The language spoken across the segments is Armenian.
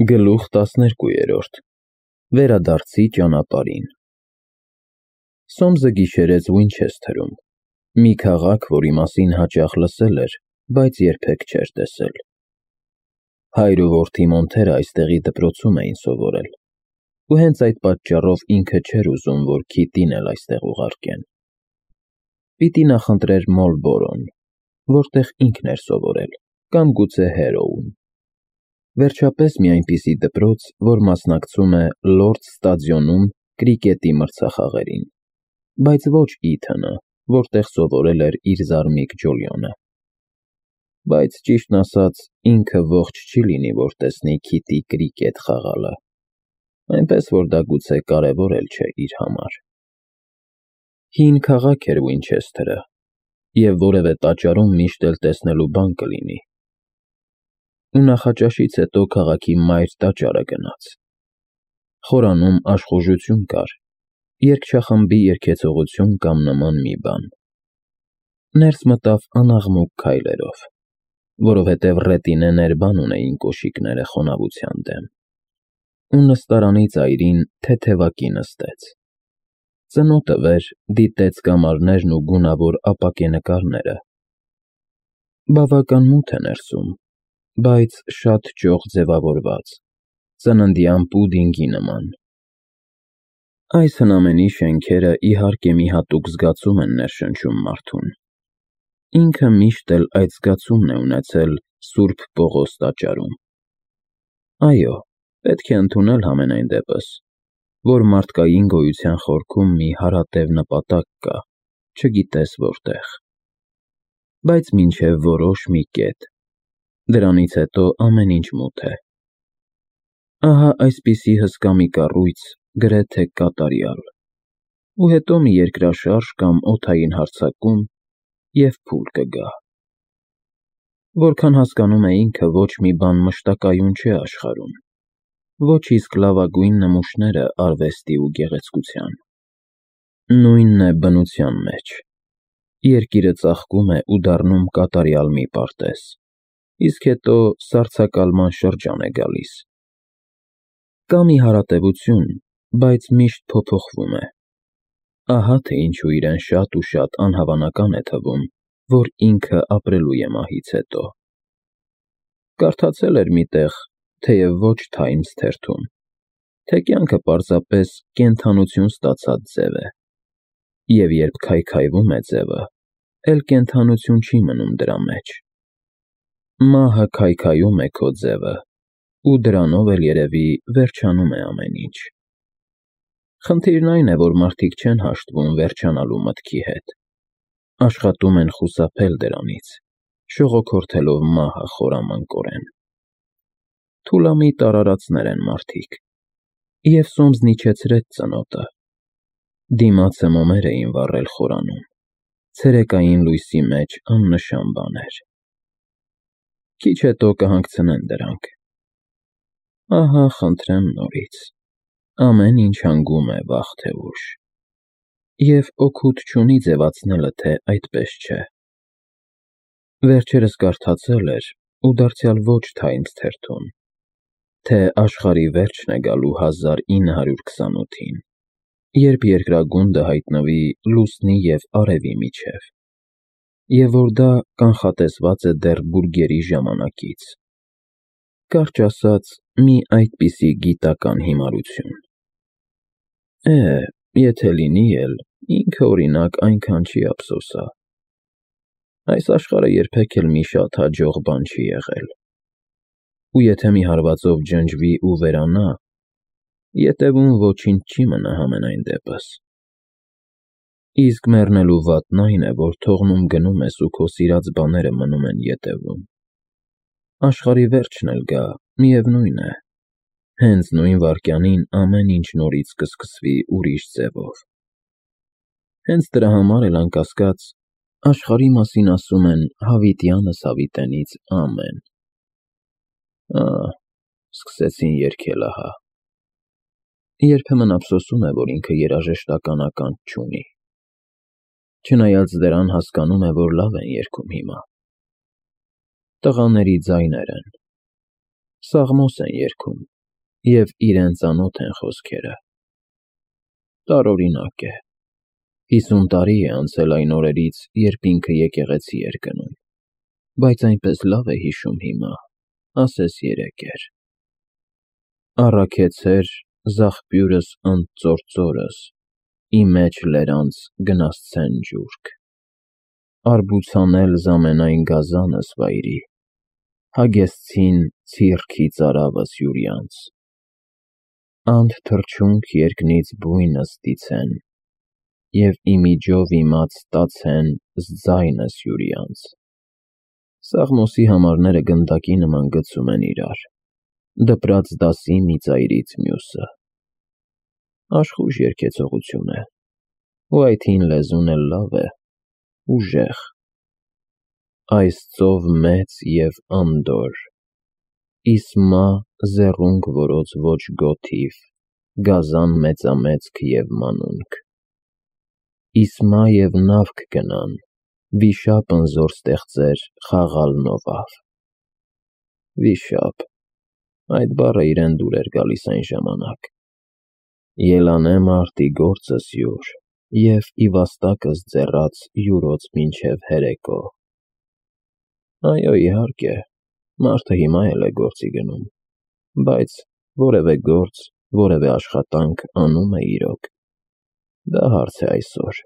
Գլուխ 12 Վերադարձի ճանապարհին Սոմսը գիշերեց Ուինչեսթերում, մի քաղաք, որի մասին հաճախ լսել էր, բայց երբեք չէր տեսել։ Հայր ու որդի Մոնթերը այստեղի դպրոցում էին սովորել, ու հենց այդ պատճառով ինքը չէր ուզում, որ Քիթին էլ այստեղ ուղարկեն։ Պիտի նախընտրեր Մոլբորոն, որտեղ ինքն էր սովորել, կամ գուցե Հերոուն։ Վերջապես մի այնպիսի դպրոց, որ մասնակցում է Լորդս ստադիոնում կրիկետի մրցախաղերին, բայց ոչ Իթոնը, որտեղ սովորել էր իր զարմիկ Ջոլիոնը։ Բայց ճիշտն ասած, ինքը ողջ չի լինի, որ տեսնի Քիթի կրիկետ խաղալը, այնպես որ դա գուցե կարևոր էլ չէ իր համար։ Հին քաղաք էր Ուինչեսթերը, և որևէ տաճարում միշտ էլ տեսնելու բան կլինի։ Ու նախաճաշից հետո քաղաքի մայր տաճարը գնաց։ Խորանում աշխուժություն կար, երգչախմբի երգեցողություն կամ նման մի բան։ Ներս մտավ անաղմուկ քայլերով, որովհետև ռետինեներ բան ունեին կոշիկները խոնավության դեմ, ու նստարանի ծայրին թեթևակի նստեց։ Ծնոտը վեր դիտեց կամարներն ու գունավոր ապակենկարները։ Բավական մութ է ներսում, բայց շատ ճոխ ձևավորված, ծննդյան պուդինգի նման։ Այս հնամենի շենքերը իհարկե մի հատուկ զգացում են ներշնչում մարդուն։ Ինքը միշտ էլ այդ զգացումն է ունեցել Սուրբ Պողոս տաճարում։ Այո, պետք է ընդունել համենայն դեպս, որ մարդկային գոյության խորքում մի հարատև նպատակ կա, չգիտես որտեղ։ Բայց մինչև որոշ մի կետ, դրանից հետո ամեն ինչ մութ է։ Ահա այսպիսի հսկա մի կառույց, գրեթե կատարյալ, ու հետո մի երկրաշարժ կամ օդային հարձակում, և փուլ կգա։ Որքան հասկանում է ինքը, ոչ մի բան մշտակայուն չէ աշխարհում, ոչ իսկ լավագույն նմուշները արվեստի ու գեղեցկության։ Նույնն է բնության մեջ։ Երկիրը ծաղկում է ու դառնում կատարյալ մի պարտեզ, իսկ հետո սառցակալման շրջան է գալիս։ Կա մի հարատևություն, բայց միշտ փոփոխվում է։ Ահա թե ինչու իրեն շատ ու շատ անհավանական է թվում, որ ինքը ապրելու է մահից հետո։ Կարդացել էր մի տեղ, թեև ոչ Times թերթում, թե կյանքը պարզապես կենդանություն ստացած ձև է, և երբ քայքայվում է ձևը, էլ կենդանություն չի մնում դրա մեջ։ Մահը քայքայում է քո ձևը, ու դրանով էլ երևի վերջանում է ամեն ինչ։ Խնդիրն այն է, որ մարդիկ չեն հաշտվում վերջանալու մտքի հետ, աշխատում են խուսափել դրանից, շողոքորթելով մահը խորամանկորեն։ Թուլամիտ արարածներ են մարդիկ, և Սոմսն իջեցրեց ծնոտը։ Դիմացը մոմեր էին վառել խորանում, ցերեկային լույսի մեջ աննշան բաներ։ Քիչ հետո կհանգցնեն դրանք։ Ահա, խնդրեմ նորից, ամեն ինչ հանգում է վաղ թե ուշ, և օգուտ չունի ձևացնելը, թե այդպես չէ։ Վերջերս կարդացել էր, ու դարձյալ ոչ Times թերթում, թե աշխարհի վերջն է գալու 1928-ին, երբ երկրագունդը հայտնվի լուսնի և արևի միջև, և որ դա կանխատեսված է դեռ բուրգերի ժամանակից։ Կարճ ասած, մի այդպիսի գիտական հիմարություն։ Եթե լինի էլ, ինքը օրինակ այնքան չի ափսոսա։ Այս աշխարհը երբեք էլ մի շատ հաջող բան չի եղել։ Ու եթե մի հարվածով ջնջվի ու վերանա, ետևում ոչինչ չի մնա համենայն դեպս։ Իսկ մեռնելու վատն այն է, որ թողնում գնում ես ու քո սիրած բաները մնում են ետևում։ Աշխարհի վերջն էլ գա, միևնույն է, հենց նույն վայրկյանին ամեն ինչ նորից կսկսվի ուրիշ ձևով։ Հենց դրա համար էլ անկասկած աշխարհի մասին ասում են հավիտյանս հավիտենից ամեն։ Սկսեցին երգել ահա։ Երբեմն ափսոսում է, որ ինքը երաժշտական ականջ չունի։ Չնայած դրան հասկանում է, որ լավ են երգում հիմա։ Տղաների ձայներ են։ Սաղմոս են երգում, և իրենց անոթ են խոսքերը։ Տարօրինակ է։ 50 տարի է անցել այն օրերից, երբ ինքը եկեղեցի էր գնում, բայց այնպես լավ է հիշում հիմա, ասես երեկ էր։ Առաքեցեր զաղբյուրս ընդծործորս, ի մեջ լերանց գնասցեն ջուրք, արբուցանել զամենայն գազանս վայրի, հագեցցին ցիրքի ծարավս յուրյանց, անդ թռչունք երկնից բույնս տիցեն, և իմիջով իմաց տացեն զձայնս յուրյանց։ Սաղմոսի համարները գնդակի նման գցում են իրար, դպրած դասի մի ծայրից մյուսը։ Աշխույժ երգեցողություն է, ու այդ հին լեզուն էլ լավ է, ուժեղ։ Այս ծով մեծ և անդոր, իսմա զեռունգ որոց ոչ գոթիվ, գազան մեծամեծք և մանունք։ Իսմա և նավք գնան, վիշապ ընզոր ստեղծեր խաղալ նովավ։ Վիշապ, այդ բառը իրեն դուր էր գալիս այն ժամանակ։ Ելանե մարտի գործս յուր, և ի վաստակս ձեռաց յուրոց մինչև հերեկո։ Այո, իհարկե, մարդը հիմա էլ է գործի գնում, բայց որևէ գործ, որևէ աշխատանք անում է իրոք։ Դա հարց է այսօր։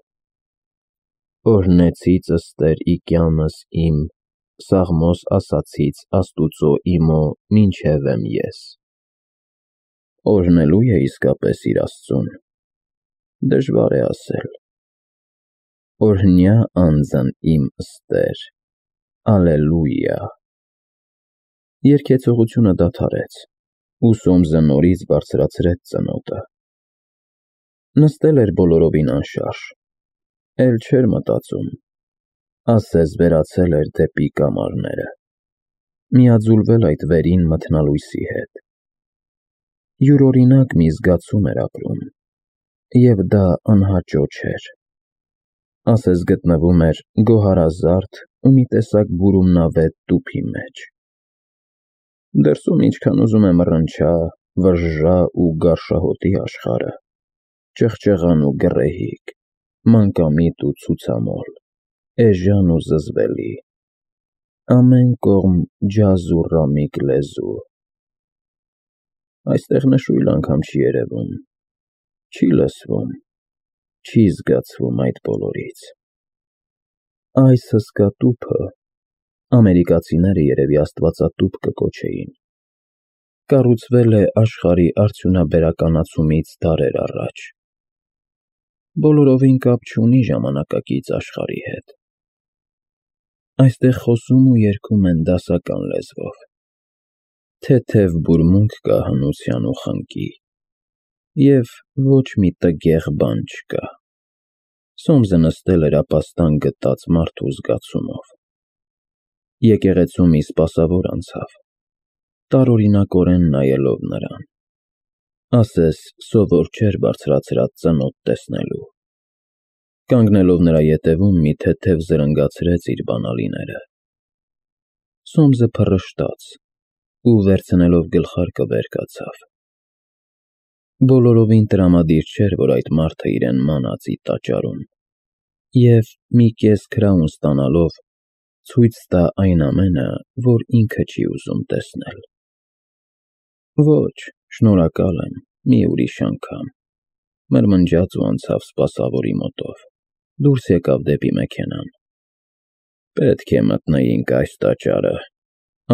Օրհնեցից ըստեր իկյանս իմ, Սաղմոս ասացից Աստուծո իմո մինչև եմ ես։ Օրհնելու է իսկապես իր Աստծուն։ Դժվար է ասել։ Օրհնյա անձն իմ ըստեր, ալելույա։ Երգեցողությունը դադարեց, ու Սոմսը նորից բարձրացրեց ծնոտը։ Նստել էր բոլորովին անշարժ, էլ չէր մտածում, ասես վերացել էր դեպի կամարները, միաձուլվել այդ վերին մթնալույսի հետ։ Յուրօրինակ մի զգացում էր ապրում, և դա անհաճո չէր, ասես գտնվում էր գոհարազարդ ու մի տեսակ բուրումնավետ տուփի մեջ։ Դրսում ինչքան ուզում է մռնչա, վժժա ու գարշահոտի աշխարհը, ճղճղան ու գռեհիկ, մանկամիտ ու ցուցամոլ, էժան ու զզվելի, ամեն կողմ ջազ ու ռամիկ լեզու։ Այստեղ նշույլ անգամ չի երևում, չի լսվում, չի զգացվում այդ բոլորից։ Այս հսկա տուփը, ամերիկացիները երևի աստվածատուփ կկոչեին, կառուցվել է աշխարհի արդյունաբերականացումից դարեր առաջ։ Բոլորովին կապ չունի ժամանակակից աշխարհի հետ։ Այստեղ խոսում ու երգում են դասական լեզվով։ Թեթև բուրմունք կա հնության ու խնկի, և ոչ մի տգեղ բան չկա։ Սոմսը նստել էր ապաստան գտած մարդու զգացումով։ Եկեղեցու մի սպասավոր անցավ, տարօրինակորեն նայելով նրան, ասես սովոր չէր բարձրացրած ծնոտ տեսնելու։ Կանգնելով նրա ետևում մի թեթև զրնգացրեց իր բանալիները։ Սոմսը փռշտաց ու վերցնելով գլխարկը վեր կացավ։ Բոլորովին տրամադիր չէր, որ այդ մարդը իրեն մանածի տաճարում, և մի կես քրաուն ստանալով ցույց տա այն ամենը, որ ինքը չի ուզում տեսնել։ Ոչ, շնորհակալ եմ, մի ուրիշ անգամ, մրմնջաց ու անցավ սպասավորի մոտով, դուրս եկավ դեպի մեքենան։ Պետք է մտնեինք այս տաճարը,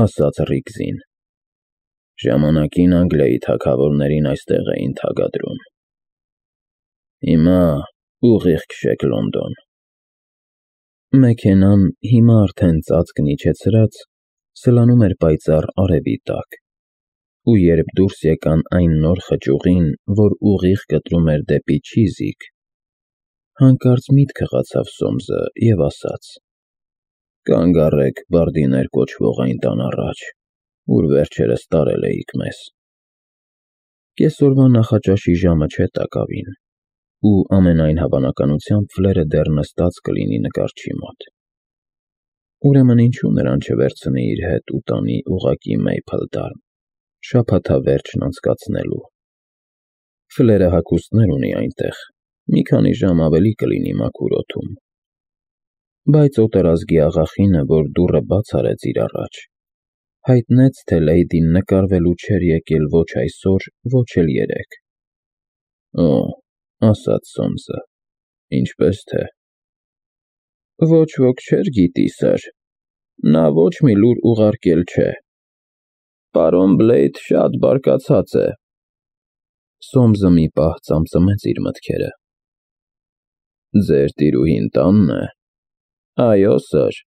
ասաց Ռիգզին։ Ժամանակին Անգլիայի թագավորներին այստեղ էին թագադրում։ Հիմա ուղիղ քշեք Լոնդոն։ Մեքենան հիմա արդեն ծածկն իջեցրած սլանում էր պայծառ արևի տակ, ու երբ դուրս եկան այն նոր խճուղին, որ ուղիղ կտրում էր դեպի Չիզիք, հանկարծ միտք հղացավ Սոմսը և ասաց. «Կանգ առեք Բարդիներ կոչվող այն տան առաջ, ուր վերջերս տարել էիք մեզ»։ Կեսօրվա նախաճաշի ժամը չէ տակավին, ու ամենայն հավանականությամբ Ֆլերը դեռ նստած կլինի նկարչի մոտ։ Ուրեմն ինչու նրան չվերցնի իր հետ ու տանի ուղղակի Մեյփլտաուն։ շաբաթավերջն անցկացնելու։ Ֆլերը հագուստներ ունի այնտեղ, մի քանի ժամ ավելի կլինի մաքուր օդում։ Բայց օտարազգի աղախինը, որ դուռը բաց արեց իր առաջ, հայտնեց, թե Լեյդին նկարվելու չէր եկել ոչ այսօր, ոչ էլ երեկ։ Օ, ասաց Սոմսը, ինչպես թե։ Ոչ ոք չէր գիտի, սըր, նա ոչ մի լուր ուղարկել չէ։ Պարոն Բլեյդ շատ բարկացած է։ Սոմսը մի պահ ծամծմեց իր մտքերը։ Ձեր տիրուհին տանն է։ Այո, սըր։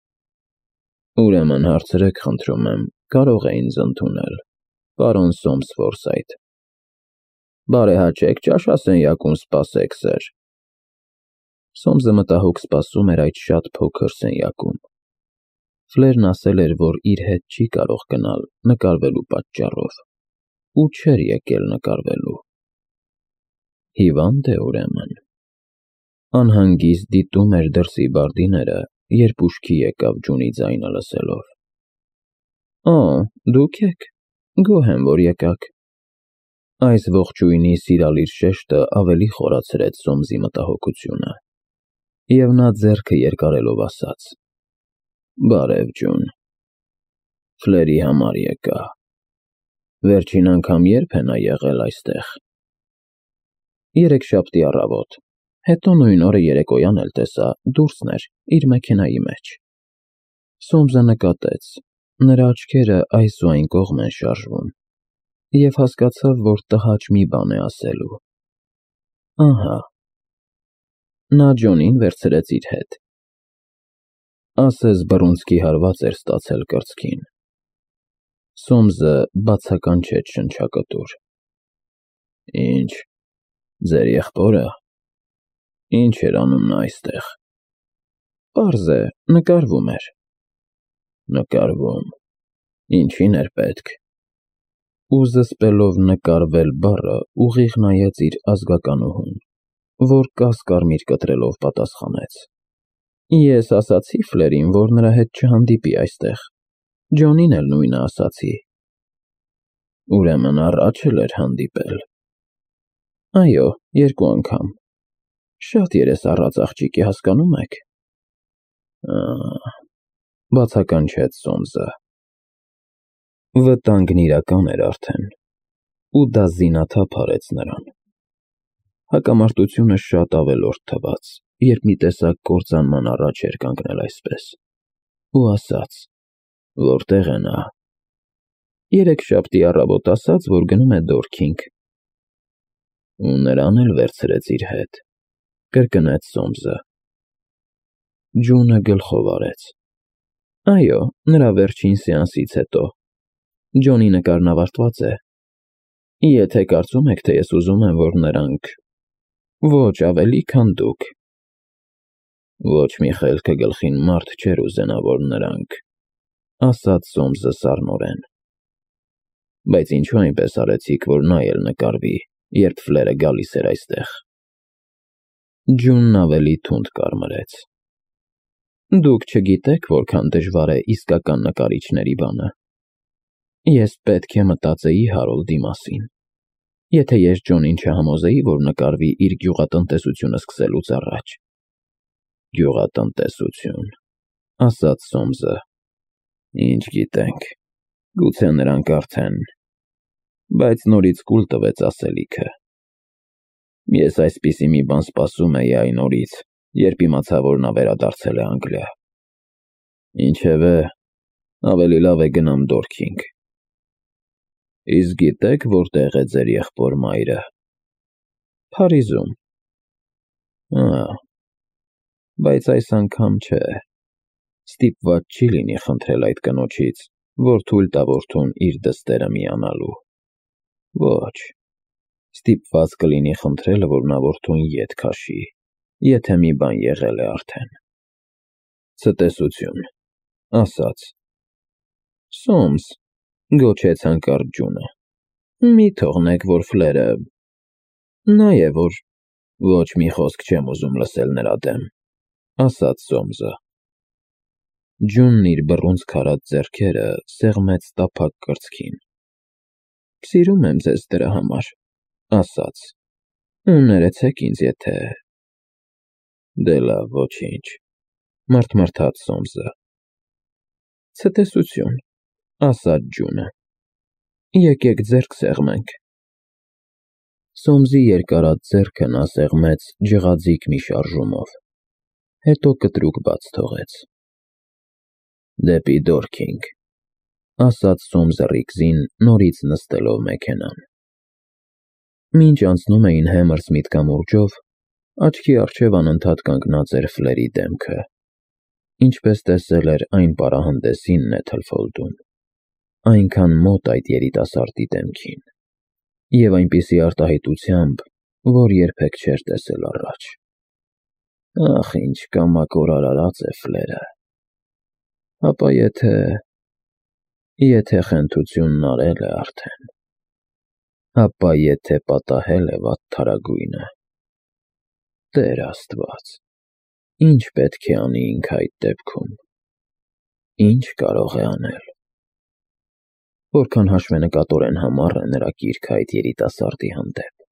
Ուրեմն հարցրեք, խնդրում եմ, կարող է ինձ ընդունել, պարոն Սոմս Ֆորսայթ։ Բարեհաճեք, ճաշասենյակում սպասեք, սըր։ Սոմսը մտահոգ սպասում էր այդ շատ փոքր սենյակում։ Ֆլերն ասել էր, որ իր հետ չի կարող գնալ նկարվելու պատճառով, ու չէր եկել նկարվելու։ Հիվանդ է ուրեմն։ Անհանգիստ դիտում էր դրսի բարդիները, երբ ուշքի եկավ Ջունի ձայնը լսելով։ Օ, դուք եք, գոհ եմ, որ եկաք։ Այս ողջույնի սիրալիր շեշտը ավելի խորացրեց Սոմսի մտահոգությունը, և նա ձեռքը երկարելով ասաց. Բարև, Ջուն։ Ֆլերի համար եկա։ Վերջին անգամ երբ է նա եղել այստեղ։ Երեքշաբթի առավոտ, հետո նույն օրը երեկոյան էլ տեսա, դուրսն էր, իր մեքենայի մեջ։ Սոմսը նկատեց, նրա աչքերը այս ու այն կողմ են շարժվում, և հասկացավ, որ տհաճ մի բան է ասելու։ Ահա։ Նա Ջոնին վերցրեց իր հետ։ Ասես բռունցքի հարված էր ստացել կրծքին։ Սոմսը բացականչեց շնչակտուր։ Ինչ, ձեր եղբորը։ Ինչ էր անում նա այստեղ։ Պարզ է, նկարվում էր։ Նկարվում։ Ինչին էր պետք։ Ու զսպելով նկարվել բառը, ուղիղ նայեց իր ազգականուհուն, որ կասկարմիր կտրելով պատասխանեց. Ես ասացի Ֆլերին, որ նրա հետ չհանդիպի այստեղ։ Ջոնին էլ նույնը ասացի։ Ուրեմն առաջ էլ էր հանդիպել։ Այո, 2 անգամ։ Շատ երես առած աղջիկ է, հասկանում եք։ Բացականչեց Սոմսը։ Վտանգն իրական էր արդեն, ու դա զինաթափ արեց նրան։ Հակամարտությունը շատ ավելորդ թվաց, երբ մի տեսակ կործանման առաջ էր կանգնել այսպես, ու ասաց. Որտեղ է նա։ Երեքշաբթի առավոտ ասաց, որ գնում է Դորքինգ։ Ու նրան էլ վերցրեց իր հետ, կրկնեց Սոմսը։ Ջունը գլխով արեց։ Այո, նրա վերջին սեանսից հետո։ Ջոնի նկարն ավարտված է։ Եթե կարծում եք, թե ես ուզում եմ, որ նրանք… Ոչ ավելի, քան դուք։ Ոչ մի խելքը գլխին մարդ չէր ուզենա, որ նրանք… ասաց Սոմսը սառնորեն։ Բայց ինչու այնպես արեցիք, որ նա էլ նկարվի, երբ Ֆլերը գալիս էր այստեղ։ Ջունն ավելի թունդ կարմրեց։ Դուք չգիտեք, որքան դժվար է իսկական նկարիչների բանը։ Ես պետք է մտածեի Հարոլդի մասին։ Եթե ես Ջոնին չհամոզեի, որ նկարվի իր գյուղատնտեսությունը սկսելուց առաջ։ Գյուղատնտեսություն, ասաց Սոմսը։ Ինչ գիտենք, գուցե նրանք արդեն… Բայց նորից կուլ տվեց ասելիքը։ Ես այսպիսի մի բան սպասում էի այն օրից, երբ իմացա, որ նա վերադարձել է Անգլիա։ Ինչևէ, ավելի լավ է գնամ Դորքինգ։ Իսկ գիտեք, որտեղ է ձեր եղբոր մայրը։ Փարիզում։ Բայց այս անգամ չէ։ Ստիպված չի լինի խնդրել այդ կնոջից, որ թույլ տա որդուն իր դստերը միանալու։ Ոչ։ Ստիպված կլինի խնդրել, որ նա որդուն ետ քաշի, եթե մի բան եղել է արդեն։ Ցտեսություն, ասաց։ Սոմս, գոչեց հանկարծ Ջունը։ Մի թողնեք, որ Ֆլերը… Նա է, որ… Ոչ մի խոսք չեմ ուզում լսել նրա դեմ, ասաց Սոմսը։ Ջունն իր բռունցք արած ձեռքերը սեղմեց տափակ կրծքին։ Սիրում եմ ձեզ դրա համար, ասաց, ու ներեցեք ինձ, եթե… Դե լավ, ոչինչ, մռթմռթաց Սոմսը։ Ցտեսություն, ասաց ջունը, եկեք ձեռք սեղմենք։ Սոմսի երկարած ձեռքը նա սեղմեց ջղաձիգ մի շարժումով, հետո կտրուկ բաց թողեց։ Դեպի Դորքինգ, ասաց Սոմսը Ռիգզին, նորից նստելով մեքենան։ Մինչ անցնում էին Հեմերս միտքամուրջով, աչքի առջև անընդհատ կանգնած էր Ֆլերի դեմքը, ինչպես տեսել էր այն պարահանդեսին Նեթլֆոլդում, այնքան մոտ այդ երիտասարդի դեմքին, և այնպիսի արտահայտությամբ, որ երբեք չէր տեսել առաջ։ Ախ, ինչ կամակոր արարած է Ֆլերը… Հապա եթե խենթությունն արել է արդեն… Հապա եթե պատահել է վատթարագույնը… Տեր Աստված, ինչ պետք է անի ինքը այդ դեպքում… Ինչ կարող է անել… Որքան հաշվենկատորեն համառ է նրա կիրքը այդ երիտասարդի հանդեպ…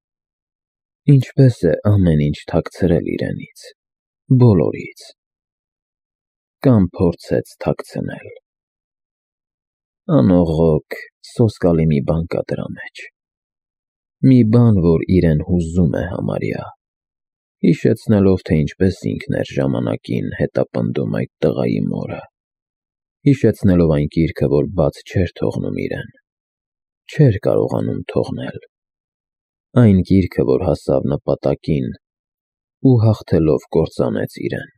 Ինչպես է ամեն ինչ թաքցրել իրենից, բոլորից… Կամ փորձեց թաքցնել… Անողոք, սոսկալի մի բան կա դրա մեջ… Մի բան, որ իրեն հուզում է համարյա, հիշեցնելով, թե ինչպես ինքն էր ժամանակին հետապնդում այդ տղայի մորը, հիշեցնելով այն կիրքը, որ բաց չէր թողնում իրեն, չէր կարողանում թողնել, այն կիրքը, որ հասավ նպատակին ու հաղթելով կործանեց իրեն…